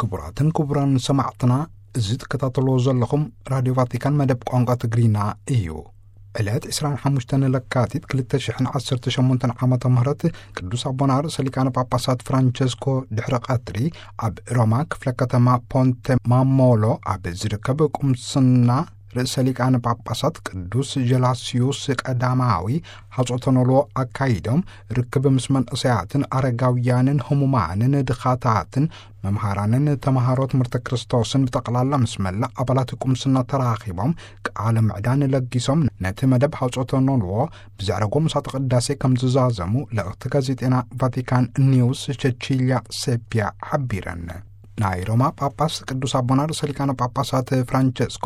ክቡራትን ክቡራን ሰማዕትና፣ እዚ ትከታተልዎ ዘለኹም ራድዮ ቫቲካን መደብ ቋንቋ ትግርኛ እዩ። ዕለት ዕስራን ሓሙሽተን ለካቲት ክልተ ሽሕን ዓሰርተ ሸሞንተን ዓመተ ምህረት ቅዱስ ኣቦና ርእሰ ሊቃነ ጳጳሳት ፍራንቸስኮ ድሕሪ ቀትሪ ኣብ ሮማ ክፍለ ከተማ ፖንተ ማሞሎ ኣብ ዝርከብ ቁምስና ርእሰ ሊቃነ ጳጳሳት ቅዱስ ጀላስዩስ ቀዳማዊ ሓጾተ ኖልዎ ኣካይዶም፣ ርክብ ምስ መንእሰያትን ኣረጋውያንን ህሙማንን ድኻታትን መምሃራንን ተምሃሮ ትምህርቲ ክርስቶስን ብጠቕላላ ምስ መላእ ኣባላት ቁምስና ተራኺቦም ቃለ ምዕዳን ለጊሶም፣ ነቲ መደብ ሓጾተ ኖልዎ ብዘዕረጎ ምሳተ ቅዳሴ ከም ዝዛዘሙ ልእኽቲ ጋዜጤና ቫቲካን ኒውስ ቸቺልያ ሴፒያ ሓቢረን። ናይ ሮማ ጳጳስ ቅዱስ ኣቦና ርእሰ ሊቃነ ጳጳሳት ፍራንቸስኮ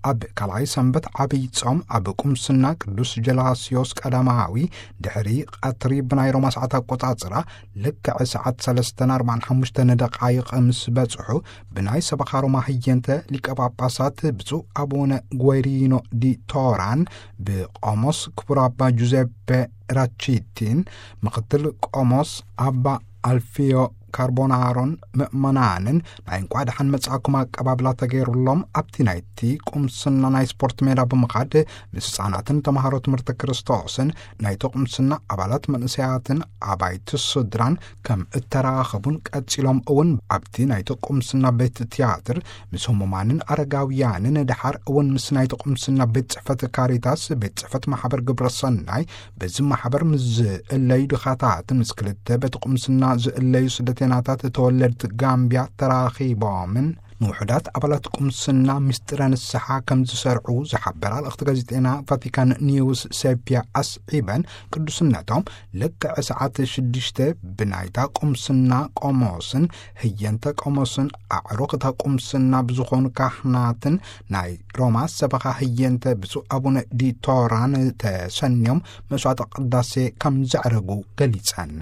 ኣብ ካልኣይ ሰንበት ዓብይ ጾም ኣብ ቁምስና ቅዱስ ጀላስዮስ ቀዳማዊ ድሕሪ ቀትሪ ብናይ ሮማ ሰዓት ኣቆጻጽራ ልክዕ ሰዓት ሰለስተን ኣርባዓን ሓሙሽተን ደቓይቕ ምስ በጽሑ፣ ብናይ ሰበኻ ሮማ ህየንተ ሊቀ ጳጳሳት ብፁዕ ኣቡነ ጓይሪኖ ዲ ቶራን ብቆሞስ ክቡር ኣባ ጁዜፔ ራቺቲን ምኽትል ቆሞስ ኣባ ኣልፊዮ ካርቦናሮን ምእመናንን ናይ እንኳዕ ደሓን መጻእኩም ኣቀባብላ ተገይሩሎም፣ ኣብቲ ናይቲ ቁምስና ናይ ስፖርት ሜዳ ብምኻድ ምስ ህጻናትን ተምሃሮ ትምህርቲ ክርስቶስን ናይቲ ቁምስና ኣባላት መንእሰያትን ኣባይቲ ስድራን ከም እተራኸቡን ቀጺሎም እውን ኣብቲ ናይቲ ቁምስና ቤት ትያትር ምስ ህሙማንን ኣረጋውያንን ድሓር እውን ምስ ናይቲ ቁምስና ቤት ጽሕፈት ካሪታስ ቤት ጽሕፈት ማሕበር ግብረ ሰናይ በዚ ማሕበር ምስ ዝእለዩ ድኻታት ምስ ክልተ በቲ ቁምስና ዝእለዩ ስደተናታት ተወለድቲ ጋምብያ ተራኺቦምን ንውሑዳት ኣባላት ቁምስና ምስጢረ ንስሓ ከም ዝሰርዑ ዝሓበራ ልእኽቲ ጋዜጤና ቫቲካን ኒውስ ሴፒያ ኣስዒበን፣ ቅዱስነቶም ልክዕ ሰዓት ሽዱሽተ ብናይታ ቁምስና ቆሞስን ህየንተ ቆሞስን ኣዕሩኽ እታ ቁምስና ብዝኾኑ ካህናትን ናይ ሮማ ሰበኻ ህየንተ ብፁዕ ኣቡነ ዲቶራን ተሰንዮም መስዋዕተ ቅዳሴ ከም ዘዕረጉ ገሊጸን።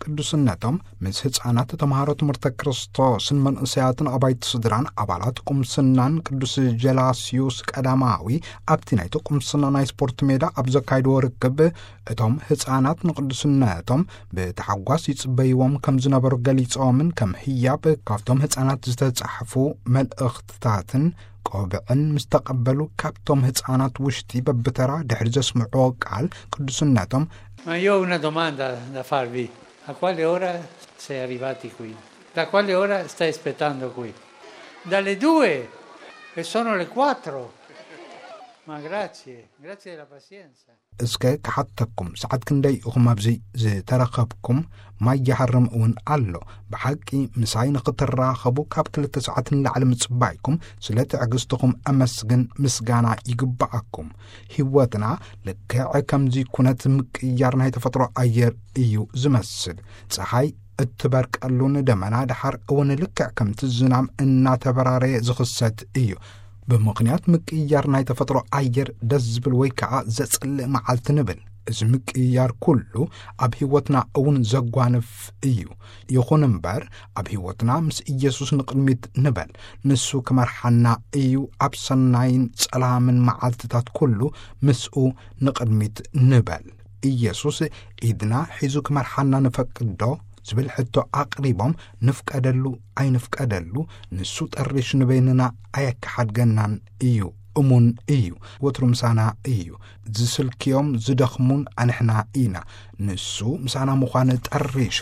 ቅዱስነቶም ምስ ህፃናት ተምሃሮ ትምህርተ ክርስቶስን መንእሰያትን ኣባይቲ ስድራን ኣባላት ቁምስናን ቅዱስ ጀላስዩስ ቀዳማዊ ኣብቲ ናይቲ ቁምስና ናይ ስፖርት ሜዳ ኣብ ዘካይድዎ ርክብ፣ እቶም ህፃናት ንቅዱስነቶም ብተሓጓስ ይፅበይዎም ከም ዝነበሩ ገሊፆምን ከም ህያብ ካብቶም ህፃናት ዝተፃሕፉ መልእኽትታትን ቆብዕን ምስ ተቐበሉ፣ ካብቶም ህፃናት ውሽጢ በብተራ ድሕሪ ዘስምዕዎ ቃል ቅዱስነቶም፣ Ma io ho una domanda da farvi. A quale ora sei arrivati qui? Da quale ora stai aspettando qui? Dalle due e sono le quattro. Ma grazie, grazie della pazienza. እስከ ክሓተኩም፣ ሰዓት ክንደይ ኢኹም ኣብዚ ዝተረኸብኩም? ማይ ይሃርም እውን ኣሎ። ብሓቂ ምሳይ ንኽትራኸቡ ካብ ክልተ ሰዓት ንላዕሊ ምጽባይኩም፣ ስለ ትዕግስትኹም ኣመስግን፣ ምስጋና ይግብኣኩም። ህይወትና ልክዕ ከምዚ ኩነት ምቅያር ናይ ተፈጥሮ ኣየር እዩ ዝመስል። ጸሓይ እትበርቀሉን ደመና ደሓር እውን ልክዕ ከምቲ ዝናም እናተበራረየ ዝኽሰት እዩ። ብምኽንያት ምቅያር ናይ ተፈጥሮ ኣየር ደስ ዝብል ወይ ከዓ ዘጽልእ መዓልቲ ንብል። እዚ ምቅያር ኩሉ ኣብ ህይወትና እውን ዘጓንፍ እዩ። ይኹን እምበር ኣብ ህይወትና ምስ ኢየሱስ ንቕድሚት ንበል። ንሱ ክመርሓና እዩ። ኣብ ሰናይን ጸላምን መዓልትታት ኩሉ ምስኡ ንቕድሚት ንበል። ኢየሱስ ኢድና ሒዙ ክመርሓና ንፈቅድ ዶ? ዝብል ሕቶ ኣቕሪቦም፣ ንፍቀደሉ ኣይንፍቀደሉ፣ ንሱ ጠሪሹ ንበይንና ኣየከሓድገናን እዩ። እሙን እዩ። ወትሩ ምሳና እዩ። ዝስልክዮም ዝደኽሙን ኣንሕና ኢና። ንሱ ምሳና ምዃን ጠሪሹ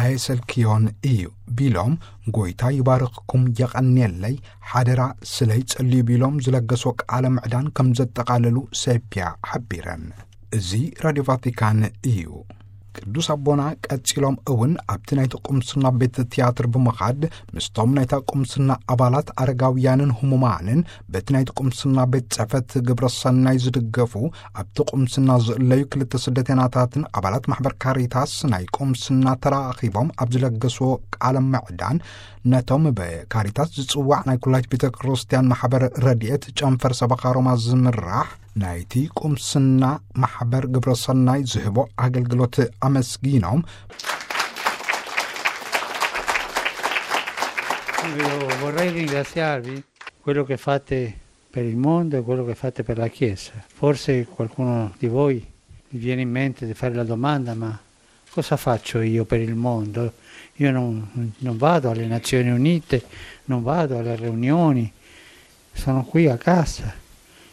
ኣየሰልክዮን እዩ ቢሎም፣ ጎይታ ይባርኽኩም፣ የቐንየለይ፣ ሓደራ ስለይ ጸልዩ ቢሎም ዝለገሶ ቃለ ምዕዳን ከም ዘጠቓለሉ ሴፒያ ሓቢረን። እዚ ራድዮ ቫቲካን እዩ። ቅዱስ ኣቦና ቀጺሎም እውን ኣብቲ ናይቲ ቁምስና ቤት ትያትር ብምኻድ ምስቶም ናይታ ቁምስና ኣባላት ኣረጋውያንን ህሙማንን በቲ ናይቲ ቁምስና ቤት ጽሕፈት ግብረ ሰናይ ዝድገፉ ኣብቲ ቁምስና ዝእለዩ ክልተ ስደተናታትን ኣባላት ማሕበር ካሪታስ ናይ ቁምስና ተራኺቦም ኣብ ዝለገስዎ ቃለ ምዕዳን ነቶም ብካሪታስ ዝጽዋዕ ናይ ኩላይት ቤተ ክርስቲያን ማሕበር ረድኤት ጨንፈር ሰበኻ ሮማ ዝምራሕ ናይቲ ቁምስና ማሕበር ግብረ ሰናይ ዝህቦ ኣገልግሎት ኣመስጊኖም። Io vorrei ringraziarvi quello che fate per il mondo e quello che fate per la Chiesa. Forse qualcuno di voi vi viene in mente di fare la domanda, ma Cosa faccio io per il mondo? Io non, non vado alle Nazioni Unite, non vado alle riunioni, sono qui a casa.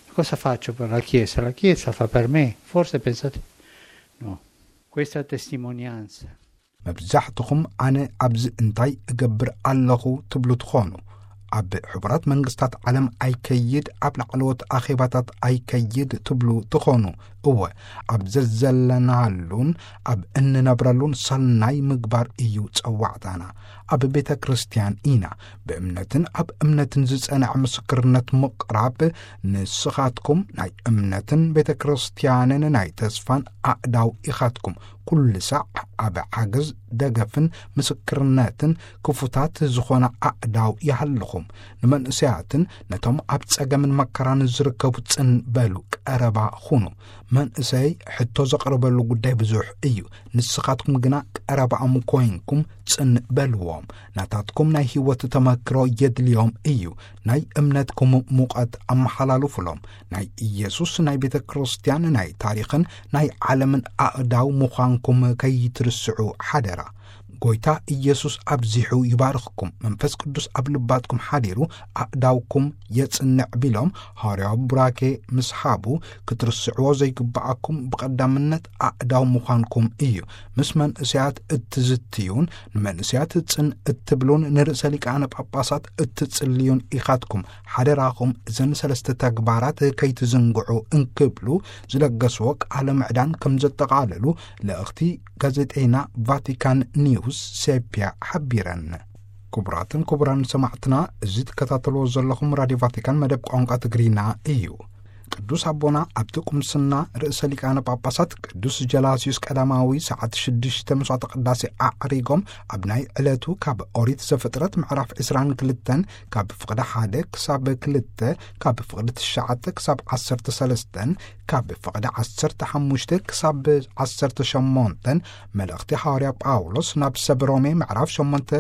Cosa faccio per la Chiesa? La Chiesa fa per me. Forse pensate, no. Questa testimonianza. መብዛሕትኹም ኣነ ኣብዚ እንታይ እገብር ኣለኹ ትብሉ ትኾኑ። ኣብ ሕቡራት መንግስታት ዓለም ኣይከይድ፣ ኣብ ላዕለዎት ኣኼባታት ኣይከይድ ትብሉ ትኾኑ። እወ፣ ኣብ ዘዘለናሉን ኣብ እንነብረሉን ሰናይ ምግባር እዩ ጸዋዕታና። ኣብ ቤተ ክርስቲያን ኢና። ብእምነትን ኣብ እምነትን ዝጸንዐ ምስክርነት ምቕራብ። ንስኻትኩም ናይ እምነትን ቤተ ክርስቲያንን ናይ ተስፋን ኣእዳው ኢኻትኩም። ኩሉ ሳዕ ኣብ ሓገዝ፣ ደገፍን ምስክርነትን ክፉታት ዝኾነ ኣእዳው ይሃልኹም። ንመንእሰያትን ነቶም ኣብ ጸገምን መከራን ዝርከቡ ጽን በሉ፣ ቀረባ ኹኑ። መንእሰይ ሕቶ ዘቕርበሉ ጉዳይ ብዙሕ እዩ። ንስኻትኩም ግና ቀረባኦም ኮይንኩም ጽን በልዎም። ናታትኩም ናይ ህይወት ተመክሮ የድልዮም እዩ። ናይ እምነትኩም ሙቐት ኣመሓላልፉሎም። ናይ ኢየሱስ ናይ ቤተ ክርስቲያን፣ ናይ ታሪኽን ናይ ዓለምን ኣእዳው ምዃንኩም ከይትርስዑ ሓደራ። ጎይታ ኢየሱስ ኣብዚሑ ይባርኽኩም። መንፈስ ቅዱስ ኣብ ልባትኩም ሓዲሩ ኣእዳውኩም የጽንዕ ቢሎም ሃዋርያዊ ቡራኬ ምስ ሃቡ፣ ክትርስዕዎ ዘይግብኣኩም ብቐዳምነት ኣእዳው ምዃንኩም እዩ። ምስ መንእሰያት እትዝትዩን ንመንእሰያት ጽን እትብሉን ንርእሰ ሊቃነ ጳጳሳት እትጽልዩን ኢኻትኩም። ሓደራኹም እዘን ሰለስተ ተግባራት ከይትዝንግዑ እንክብሉ ዝለገስዎ ቃለ ምዕዳን ከም ዘጠቓለሉ ልእኽቲ ጋዜጠይና ቫቲካን ኒውስ ሴፒያ ሓቢረን። ክቡራትን ክቡራን ሰማዕትና፣ እዚ ትከታተልዎ ዘለኹም ራድዮ ቫቲካን መደብ ቋንቋ ትግርኛ እዩ። ቅዱስ ኣቦና ኣብቲ ቁምስና ርእሰ ሊቃነ ጳጳሳት ቅዱስ ጀላስዩስ ቀዳማዊ ሰዓት ሽዱሽተ መስዋዕተ ቅዳሴ ኣዕሪጎም፣ ኣብ ናይ ዕለቱ ካብ ኦሪት ዘፍጥረት ምዕራፍ ዕስራን ክልተን ካብ ፍቕዲ ሓደ ክሳብ ክልተ፣ ካብ ፍቕዲ ትሽዓተ ክሳብ ዓሰርተ ሰለስተን፣ ካብ ፍቕዲ ዓሰርተ ሓሙሽተ ክሳብ ዓሰርተ ሸሞንተን፣ መልእኽቲ ሃዋርያ ጳውሎስ ናብ ሰብ ሮሜ ምዕራፍ ሸሞንተ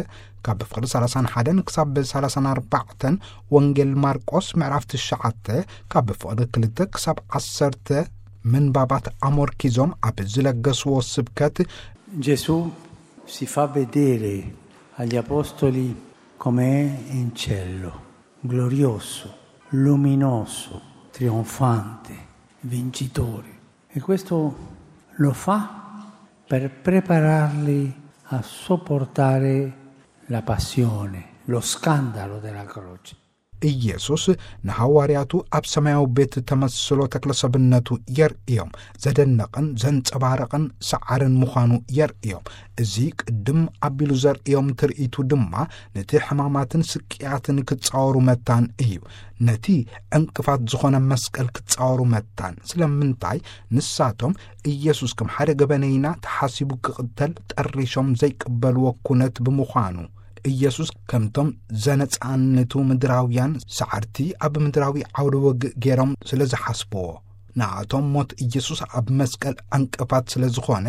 ካብ ፍቕዲ ሰላሳን ሓደን ክሳብ ሰላሳን ኣርባዕተን፣ ወንጌል ማርቆስ ምዕራፍ ትሽዓተ ካብ ፍቕዲ ክልተ ክሳብ ዓሰርተ፣ ምንባባት ኣሞርኪዞም ኣብ ዝለገስዎ ስብከት፣ Gesù si fa vedere agli apostoli come è in cielo, glorioso, luminoso, trionfante, vincitore. E questo lo fa per prepararli a sopportare la passione, lo scandalo della croce. ኢየሱስ ንሃዋርያቱ ኣብ ሰማያዊ ቤት ተመስሎ ተክለሰብነቱ የርእዮም። ዘደንቕን ዘንጸባርቕን ሰዓርን ምዃኑ የርእዮም። እዚ ቅድም ኣቢሉ ዘርእዮም ትርኢቱ ድማ ነቲ ሕማማትን ስቅያትን ክጻወሩ መታን እዩ። ነቲ ዕንቅፋት ዝኾነ መስቀል ክጻወሩ መታን። ስለምንታይ? ንሳቶም ኢየሱስ ከም ሓደ ገበነይና ተሓሲቡ ክቕተል ጠሪሾም ዘይቅበልዎ ኩነት ብምዃኑ። ኢየሱስ ከምቶም ዘነጻንቱ ምድራውያን ሰዓርቲ ኣብ ምድራዊ ዓውደ ውግእ ገይሮም ስለ ዝሓስብዎ። ንኣቶም ሞት ኢየሱስ ኣብ መስቀል ዕንቅፋት ስለ ዝኾነ፣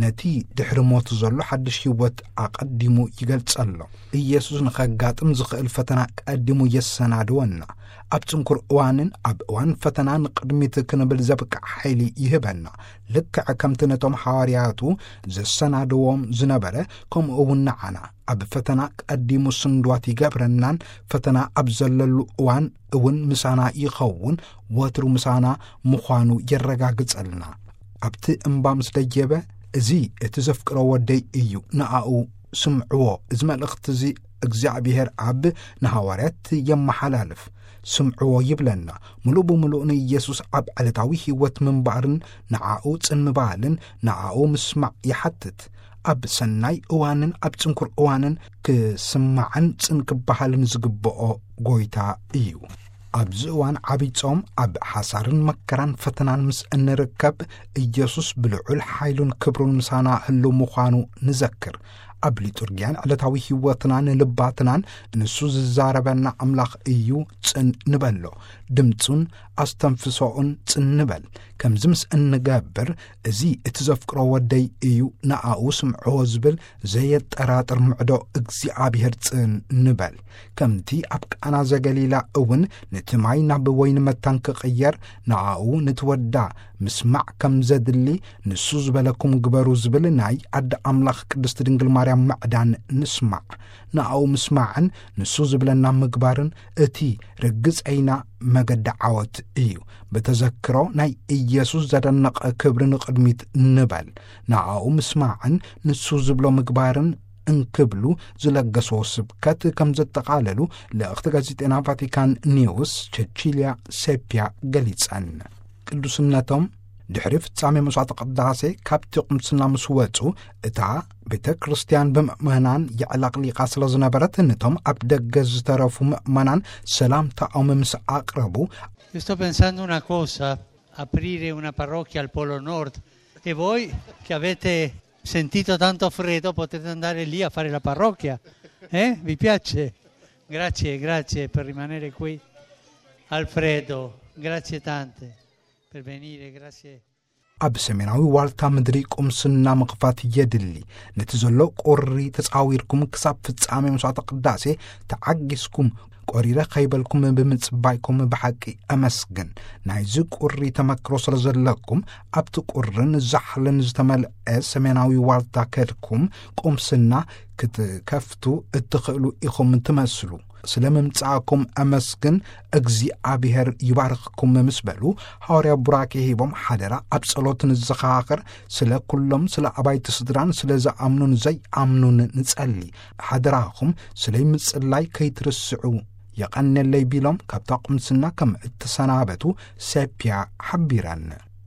ነቲ ድሕሪ ሞት ዘሎ ሓድሽ ህይወት ኣቐዲሙ ይገልጸሎም። ኢየሱስ ንኸጋጥም ዝኽእል ፈተና ቀዲሙ የሰናድወና። ኣብ ጽንኩር እዋንን ኣብ እዋን ፈተና ንቕድሚት ክንብል ዘብቅዕ ሓይሊ ይህበና። ልክዕ ከምቲ ነቶም ሃዋርያቱ ዘሰናድዎም ዝነበረ፣ ከምኡ እውን ንዓና ኣብ ፈተና ቀዲሙ ስንድዋት ይገብረናን፣ ፈተና ኣብ ዘለሉ እዋን እውን ምሳና ይኸውን፣ ወትሩ ምሳና ምዃኑ የረጋግጸልና። ኣብቲ እምባ ምስ ደየበ፣ "እዚ እቲ ዘፍቅሮ ወደይ እዩ፣ ንኣኡ ስምዕዎ።" እዚ መልእኽቲ እዚ እግዚኣብሔር ኣብ ንሃዋርያት የመሓላልፍ። ስምዕዎ ይብለና። ምሉእ ብምሉእ ንኢየሱስ ኣብ ዕለታዊ ህይወት ምንባርን ንዓኡ ጽን ምባልን ንዓኡ ምስማዕ ይሓትት። ኣብ ሰናይ እዋንን ኣብ ጽንኩር እዋንን ክስማዕን ጽን ክበሃልን ዝግብኦ ጎይታ እዩ። ኣብዚ እዋን ዓብይ ጾም ኣብ ሓሳርን መከራን ፈተናን ምስ እንርከብ፣ ኢየሱስ ብልዑል ሓይሉን ክብሩን ምሳና ህሉ ምዃኑ ንዘክር። ኣብ ሊጡርጊያን ዕለታዊ ህይወትናን ልባትናን ንሱ ዝዛረበና ኣምላኽ እዩ፣ ጽን ንበሎ። ድምጹን ኣስተንፍሶኡን ጽን ንበል። ከምዚ ምስ እንገብር፣ "እዚ እቲ ዘፍቅሮ ወደይ እዩ፣ ንኣኡ ስምዕዎ" ዝብል ዘየጠራጥር ምዕዶ እግዚኣብሔር ጽን ንበል። ከምቲ ኣብ ቃና ዘገሊላ እውን ነቲ ማይ ናብ ወይኒ መታን ክቕየር፣ ንኣኡ ንትወዳ ምስማዕ ከም ዘድሊ፣ ንሱ ዝበለኩም ግበሩ ዝብል ናይ ኣደ ኣምላኽ ቅድስቲ ድንግል ማርያም ምዕዳን ንስማዕ። ንኣኡ ምስማዕን ንሱ ዝብለና ምግባርን እቲ ርግጸይና መገዲ ዓወት እዩ። ብተዘክሮ ናይ ኢየሱስ ዘደነቐ ክብሪ ንቕድሚት ንበል። ንኣኡ ምስማዕን ንሱ ዝብሎ ምግባርን እንክብሉ ዝለገስዎ ስብከት ከም ዘጠቓለሉ ልእኽቲ ጋዜጤና ቫቲካን ኒውስ ቸቺልያ ሴፒያ ገሊጸን። ቅዱስነቶም ድሕሪ ፍጻሜ መስዋዕተ ቅዳሴ ካብቲ ቁምስና ምስ ወጹ፣ እታ ቤተ ክርስቲያን ብምእመናን የዕለቕሊቓ ስለ ዝነበረት፣ ነቶም ኣብ ደገ ዝተረፉ ምእመናን ሰላምታኦም ምስ ኣቕረቡ፣ Io sto pensando una cosa, aprire una parrocchia al Polo Nord, e voi che avete sentito tanto freddo potete andare lì a fare la parrocchia, eh? Vi piace? Grazie, grazie per rimanere qui. Alfredo, grazie tante per venire, grazie. ኣብ ሰሜናዊ ዋልታ ምድሪ ቁምስና ምኽፋት የድሊ። ነቲ ዘሎ ቁሪ ተጻዊርኩም ክሳብ ፍጻሜ መስዋዕተ ቅዳሴ ተዓጊስኩም፣ ቆሪረ ከይበልኩም ብምጽባይኩም ብሓቂ ኣመስግን። ናይዚ ቁሪ ተመክሮ ስለ ዘለኩም፣ ኣብቲ ቁርን ዛሕልን ዝተመልአ ሰሜናዊ ዋልታ ከድኩም ቁምስና ክትከፍቱ እትኽእሉ ኢኹም ትመስሉ። ስለ ምምጻእኩም ኣመስግን፣ እግዚኣብሔር ይባርኽኩም ምስ በሉ፣ ሃዋርያ ቡራኬ ሂቦም፣ ሓደራ ኣብ ጸሎት ንዘኻኽር፣ ስለ ኩሎም፣ ስለ ኣባይቲ ስድራን ስለ ዝኣምኑን ዘይኣምኑን ንጸሊ። ሓደራኹም ስለ ምጽላይ ከይትርስዑ። የቐንየለይ ቢሎም ካብታ ቁምስና ከም እተሰናበቱ ሴፒያ ሓቢረን።